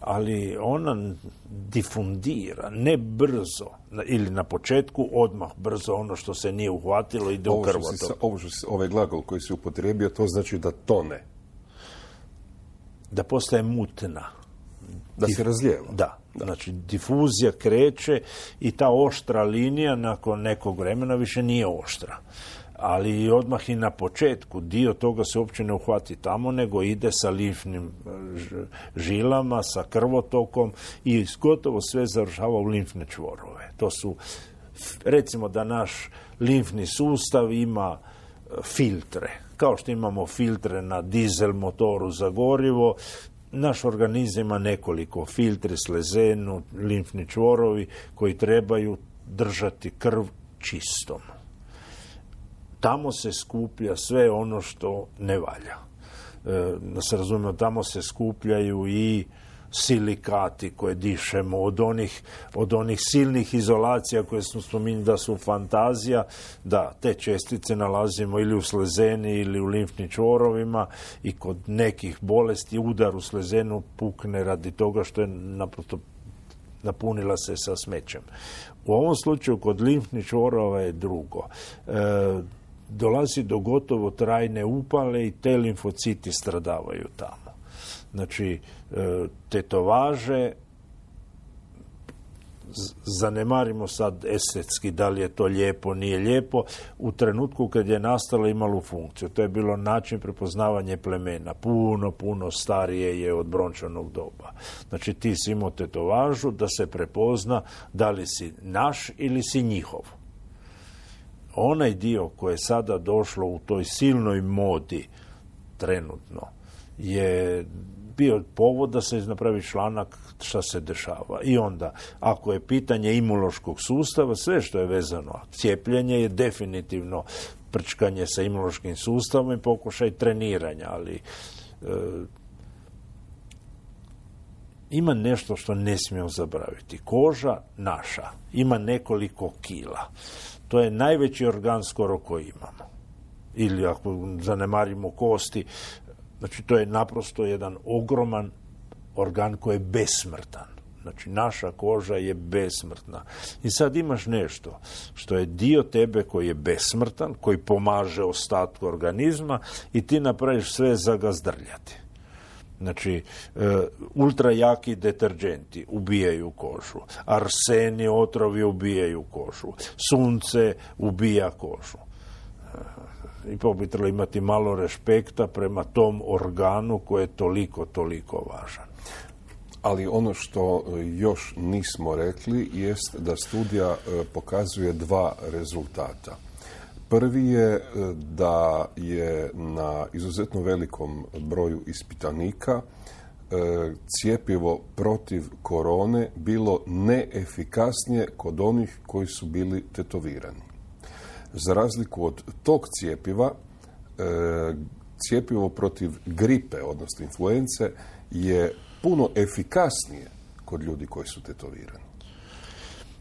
S5: Ali ona difundira, ne brzo, ili na početku odmah brzo ono što se nije uhvatilo ide u krvotok.
S4: Ovo što si, ovaj glagol koji si upotrijebio, to znači da tone.
S5: Da postaje mutna.
S4: Da se razlijeva.
S5: Da, da, znači difuzija kreće i ta oštra linija nakon nekog vremena više nije oštra. Ali odmah i na početku dio toga se uopće ne uhvati tamo, nego ide sa limfnim žilama, sa krvotokom i gotovo sve završava u limfne čvorove. To su, recimo da naš limfni sustav ima filtre. Kao što imamo filtre na dizel motoru za gorivo, naš organizam ima nekoliko filtri, slezenu, limfni čvorovi koji trebaju držati krv čistom. Tamo se skuplja sve ono što ne valja. E, da se razumijemo, tamo se skupljaju i silikati koje dišemo, od onih, od onih silnih izolacija koje smo spominjali da su fantazija, da te čestice nalazimo ili u slezeni ili u limfnim čvorovima i kod nekih bolesti udar u slezenu pukne radi toga što je naprosto napunila se sa smećem. U ovom slučaju kod limfnih čvorova je drugo. E, dolazi do gotovo trajne upale i te limfociti stradavaju tamo. Znači, tetovaže, zanemarimo sad estetski da li je to lijepo, nije lijepo, u trenutku kad je nastala imalo funkciju. To je bilo način prepoznavanja plemena. Puno, puno starije je od brončanog doba. Znači, ti si imao tetovažu da se prepozna da li si naš ili si njihov. Onaj dio koji je sada došlo u toj silnoj modi trenutno je bio povod da se napravi članak šta se dešava. I onda, ako je pitanje imunološkog sustava, sve što je vezano, cijepljenje je definitivno prčkanje sa imunološkim sustavom i pokušaj treniranja, ali e, ima nešto što ne smijemo zaboraviti. Koža naša ima nekoliko kila. To je najveći organ skoro koji imamo. Ili ako zanemarimo kosti, znači to je naprosto jedan ogroman organ koji je besmrtan. Znači naša koža je besmrtna. I sad imaš nešto što je dio tebe koji je besmrtan, koji pomaže ostatku organizma i ti napraviš sve za ga zdrljati. Znači, e, ultrajaki deterđenti ubijaju kožu, arseni otrovi ubijaju kožu, sunce ubija kožu. E, ipak bi trebalo imati malo respekta prema tom organu koji je toliko, toliko važan.
S4: Ali ono što još nismo rekli jest da studija pokazuje dva rezultata. Prvi je da je na izuzetno velikom broju ispitanika cjepivo protiv korone bilo neefikasnije kod onih koji su bili tetovirani. Za razliku od tog cjepiva, cjepivo protiv gripe, odnosno influence, je puno efikasnije kod ljudi koji su tetovirani.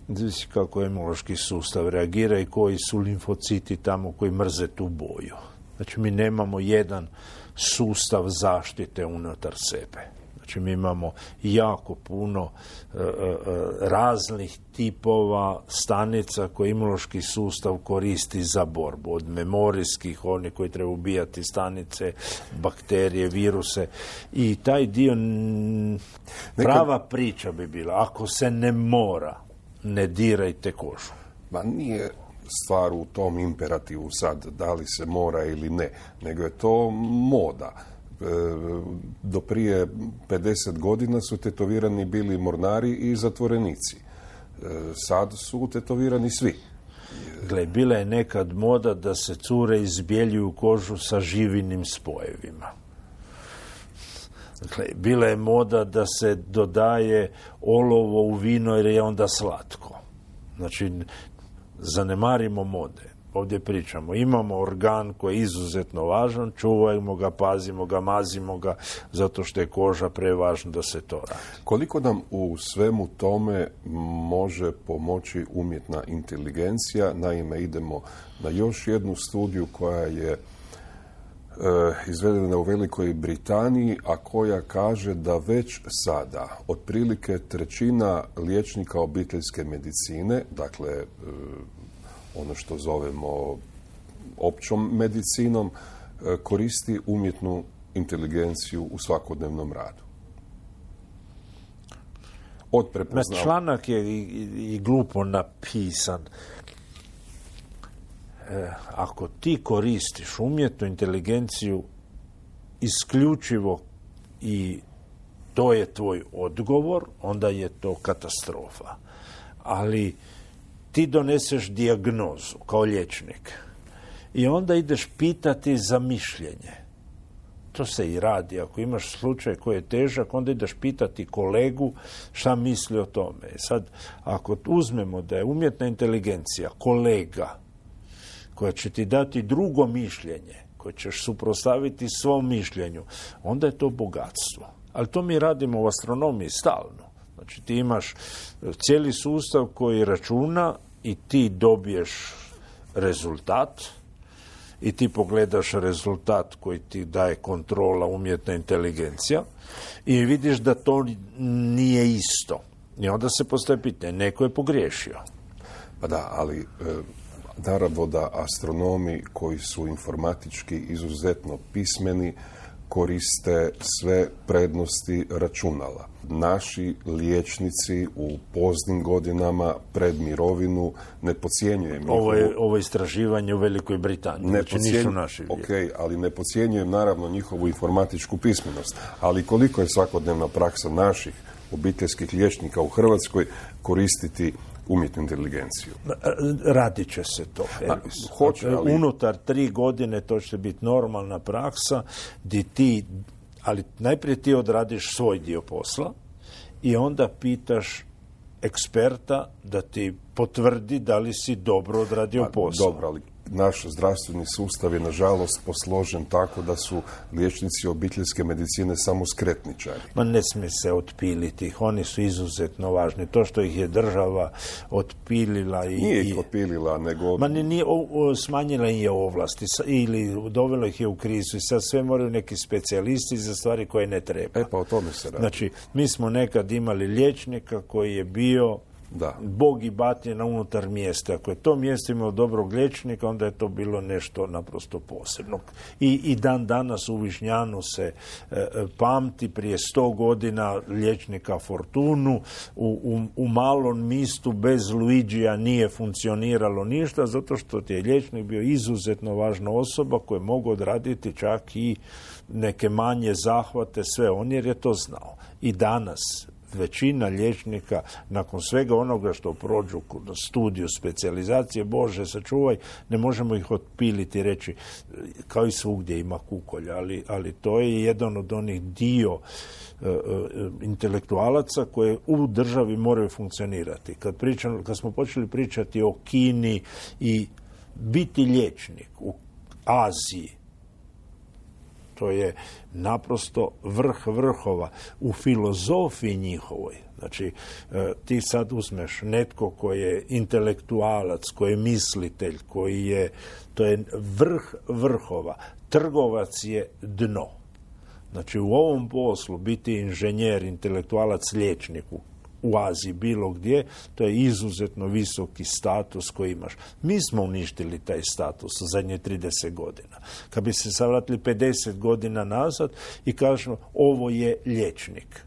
S5: Znači kako imunološki sustav reagira i koji su limfociti tamo koji mrze tu boju. Znači mi nemamo jedan sustav zaštite unutar sebe. Znači mi imamo jako puno e, e, raznih tipova stanica koje imunološki sustav koristi za borbu. Od memorijskih, oni koji treba ubijati stanice, bakterije, viruse. I taj dio, n... prava priča bi bila, ako se ne mora, ne dirajte kožu.
S4: Ma nije stvar u tom imperativu sad, da li se mora ili ne, nego je to moda. Do prije pedeset godina su tetovirani bili mornari i zatvorenici. Sad su tetovirani svi.
S5: Gle, bila je nekad moda da se cure izbjeljuju kožu sa živinim spojevima. Dakle, bila je moda da se dodaje olovo u vino jer je onda slatko. Znači, zanemarimo mode. Ovdje pričamo, imamo organ koji je izuzetno važan, čuvajmo ga, pazimo ga, mazimo ga, zato što je koža prevažna da se to radi.
S4: Koliko nam u svemu tome može pomoći umjetna inteligencija? Naime, idemo na još jednu studiju koja je izvedena u Velikoj Britaniji, a koja kaže da već sada otprilike trećina liječnika obiteljske medicine, dakle ono što zovemo općom medicinom, koristi umjetnu inteligenciju u svakodnevnom radu. Od prepoznav...
S5: Članak je i, i, i glupo napisan. E, ako ti koristiš umjetnu inteligenciju isključivo i to je tvoj odgovor, onda je to katastrofa. Ali ti doneseš dijagnozu kao liječnik i onda ideš pitati za mišljenje. To se i radi. Ako imaš slučaj koji je težak, onda ideš pitati kolegu šta misli o tome. Sad, ako uzmemo da je umjetna inteligencija kolega koja će ti dati drugo mišljenje, koje ćeš suprotstaviti svom mišljenju, onda je to bogatstvo. Ali to mi radimo u astronomiji stalno. Znači ti imaš cijeli sustav koji računa i ti dobiješ rezultat i ti pogledaš rezultat koji ti daje kontrola umjetna inteligencija i vidiš da to nije isto. I onda se postaje pitanje, neko je pogriješio.
S4: Pa da, ali naravno da astronomi koji su informatički izuzetno pismeni koriste sve prednosti računala. Naši liječnici u poznim godinama pred mirovinu ne podcjenjujem njihovu...
S5: Ovo je ovo istraživanje u Velikoj Britaniji,
S4: ne
S5: znači nisu naši liječnici.
S4: Ok, ali ne podcjenjujem naravno njihovu informatičku pismenost. Ali koliko je svakodnevna praksa naših obiteljskih liječnika u Hrvatskoj koristiti umjetnu inteligenciju?
S5: Radit će se to, Elvis.
S4: A, hoće, ali...
S5: Unutar tri godine to će biti normalna praksa gdje ti, ali najprije ti odradiš svoj dio posla i onda pitaš eksperta da ti potvrdi da li si dobro odradio posao.
S4: Dobro, ali naš zdravstveni sustav je nažalost posložen tako da su liječnici obiteljske medicine samo skretničari.
S5: Ma ne smije se otpiliti ih, oni su izuzetno važni. To što ih je država otpilila i...
S4: Nije ih otpilila, nego...
S5: Ma ne, nije, o, o, smanjila im je ovlasti ili dovelo ih je u krizu i sad sve moraju neki specijalisti za stvari koje ne treba.
S4: E pa o tome se radi.
S5: Znači, mi smo nekad imali liječnika koji je bio
S4: Da.
S5: Bog i batina unutar mjesta. Ako je to mjesto imalo dobrog liječnika, onda je to bilo nešto naprosto posebno. I, i dan danas u Višnjanu se e, pamti prije sto godina liječnika Fortunu. U, u, u malom mistu bez Luigija nije funkcioniralo ništa, zato što je liječnik bio izuzetno važna osoba koja je mogao odraditi čak i neke manje zahvate, sve on jer je to znao. I danas većina liječnika, nakon svega onoga što prođu na studiju specijalizacije, Bože sačuvaj, ne možemo ih otpiliti i reći, kao i svugdje ima kukolja, ali, ali to je jedan od onih dio e, e, intelektualaca koje u državi moraju funkcionirati. Kad, pričam, kad smo počeli pričati o Kini i biti liječnik u Aziji, to je naprosto vrh vrhova u filozofiji njihovoj. Znači, ti sad uzmeš netko koji je intelektualac, koji je mislitelj, koji je, to je vrh vrhova. Trgovac je dno. Znači, u ovom poslu biti inženjer, intelektualac, liječnik u Aziji, bilo gdje, to je izuzetno visoki status koji imaš. Mi smo uništili taj status u zadnje trideset godina. Kad bi se savratili pedeset godina nazad i kažemo, ovo je liječnik.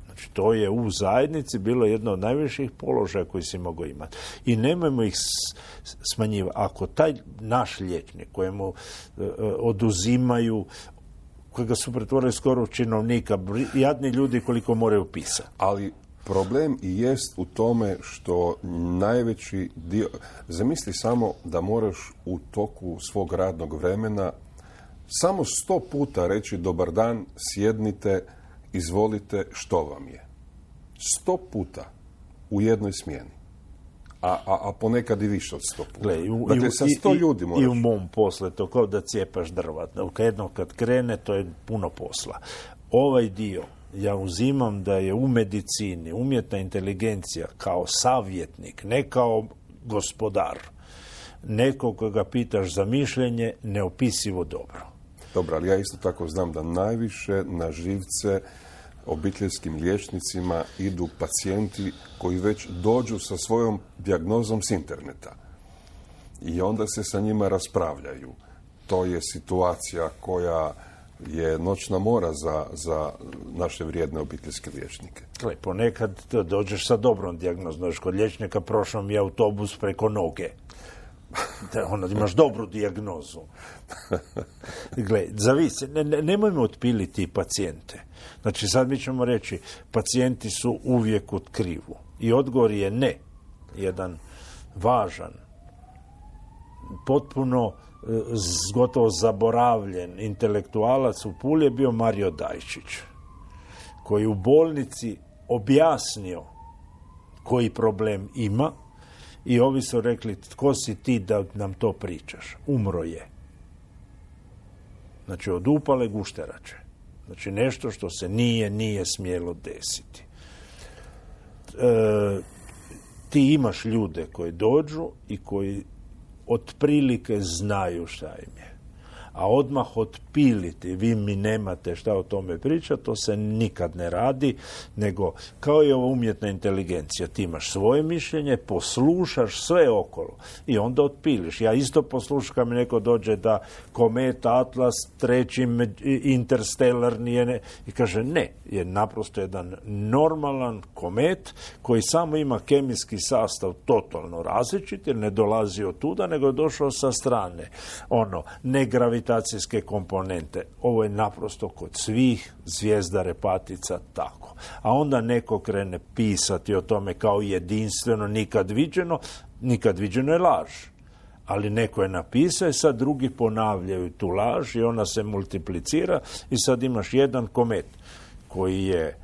S5: Znači, to je u zajednici bilo jedno od najviših položaja koji si mogao imati. I nemojmo ih smanjivati. Ako taj naš liječnik kojemu uh, oduzimaju, kojega su pretvorili skoro u činovnika, jadni ljudi koliko moraju pisati.
S4: Ali problem i jest u tome što najveći dio... Zamisli samo da moraš u toku svog radnog vremena samo sto puta reći dobar dan, sjednite, izvolite, što vam je. Sto puta u jednoj smjeni. A, a, a ponekad i više od sto puta.
S5: Gle, u,
S4: dakle, sa sto
S5: i,
S4: ljudi moraš...
S5: I u mom poslu to kao da cijepaš drva. Jedno kad krene, to je puno posla. Ovaj dio ja uzimam da je u medicini umjetna inteligencija kao savjetnik, ne kao gospodar. Neko koga pitaš za mišljenje, neopisivo dobro.
S4: Dobro, ali ja isto tako znam da najviše na živce obiteljskim liječnicima idu pacijenti koji već dođu sa svojom dijagnozom s interneta. I onda se sa njima raspravljaju. To je situacija koja je noćna mora za, za naše vrijedne obiteljske liječnike.
S5: Gle, ponekad dođeš sa dobrom dijagnozom. Kod liječnika prošao mi je autobus preko noge. Da, ono, imaš dobru dijagnozu. Gle, zavisi, ne, ne, nemojmo otpiliti pacijente. Znači, sad mi ćemo reći, pacijenti su uvijek u krivu. I odgovor je ne. Jedan važan, potpuno gotovo zaboravljen intelektualac u Puli je bio Mario Dajčić, koji u bolnici objasnio koji problem ima i ovi su rekli, tko si ti da nam to pričaš? Umro je. Znači, od upale gušterače. Znači, nešto što se nije, nije smjelo desiti. E, ti imaš ljude koji dođu i koji otprilike znaju šta im je. A odmah otpiliti, vi mi nemate šta o tome pričati, to se nikad ne radi, nego kao i ova umjetna inteligencija. Ti imaš svoje mišljenje, poslušaš sve okolo i onda otpiliš. Ja isto poslušam kad mi neko dođe da kometa Atlas, treći Interstellar nije ne, i kaže ne, je naprosto jedan normalan komet koji samo ima kemijski sastav totalno različit, jer ne dolazi od tuda, nego je došao sa strane. Ono, ne gravitacijske komponente. Ovo je naprosto kod svih zvijezda repatica tako. A onda neko krene pisati o tome kao jedinstveno, nikad viđeno. Nikad viđeno je laž. Ali neko je napisao i sad drugi ponavljaju tu laž i ona se multiplicira i sad imaš jedan komet koji je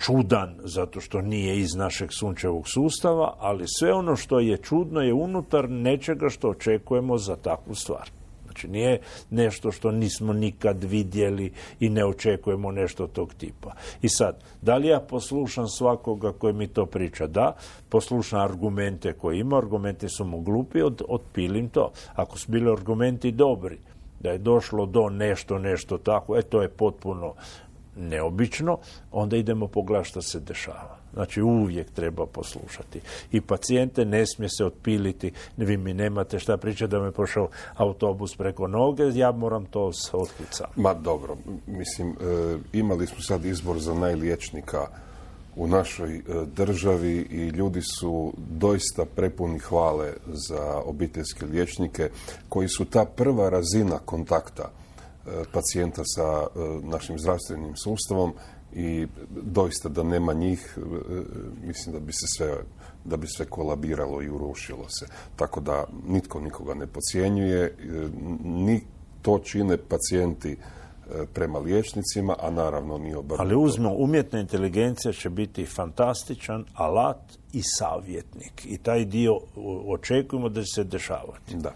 S5: čudan zato što nije iz našeg sunčevog sustava, ali sve ono što je čudno je unutar nečega što očekujemo za takvu stvar. Znači nije nešto što nismo nikad vidjeli i ne očekujemo nešto tog tipa. I sad, da li ja poslušam svakoga koji mi to priča? Da, poslušam argumente koje ima, argumenti su mu glupi, od, otpilim to. Ako su bili argumenti dobri, da je došlo do nešto, nešto tako, e to je potpuno neobično, onda idemo pogledati što se dešava. Znači uvijek treba poslušati. I pacijente ne smije se otpiliti, vi mi nemate šta pričati da me prošao autobus preko noge, ja moram to otkriti sam.
S4: Ma dobro, mislim, e, imali smo sad izbor za najliječnika u našoj e, državi i ljudi su doista prepuni hvale za obiteljske liječnike koji su ta prva razina kontakta pacijenta sa našim zdravstvenim sustavom i doista da nema njih, mislim da bi se sve, da bi sve kolabiralo i urušilo se. Tako da nitko nikoga ne podcjenjuje, ni to čine pacijenti prema liječnicima, a naravno nije obrnuto.
S5: Ali uzmo, umjetna inteligencija će biti fantastičan alat i savjetnik. I taj dio očekujemo da će se dešavati.
S4: Da.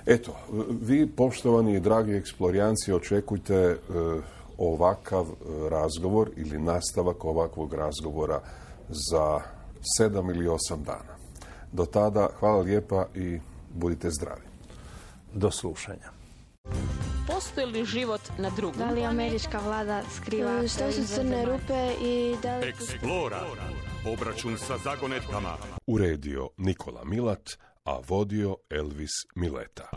S4: Eto, vi, poštovani i dragi eksplorijanci, očekujte e, ovakav razgovor ili nastavak ovakvog razgovora za sedam ili osam dana. Do tada, hvala lijepa i budite zdravi.
S5: Do slušanja.
S1: Postoji li život na drugom?
S2: Da li američka vlada skriva? Što su crne rupe i da li...
S3: Eksplora. Obračun sa zagonetkama.
S4: Uredio Nikola Milat, a vodio Elvis Mileta.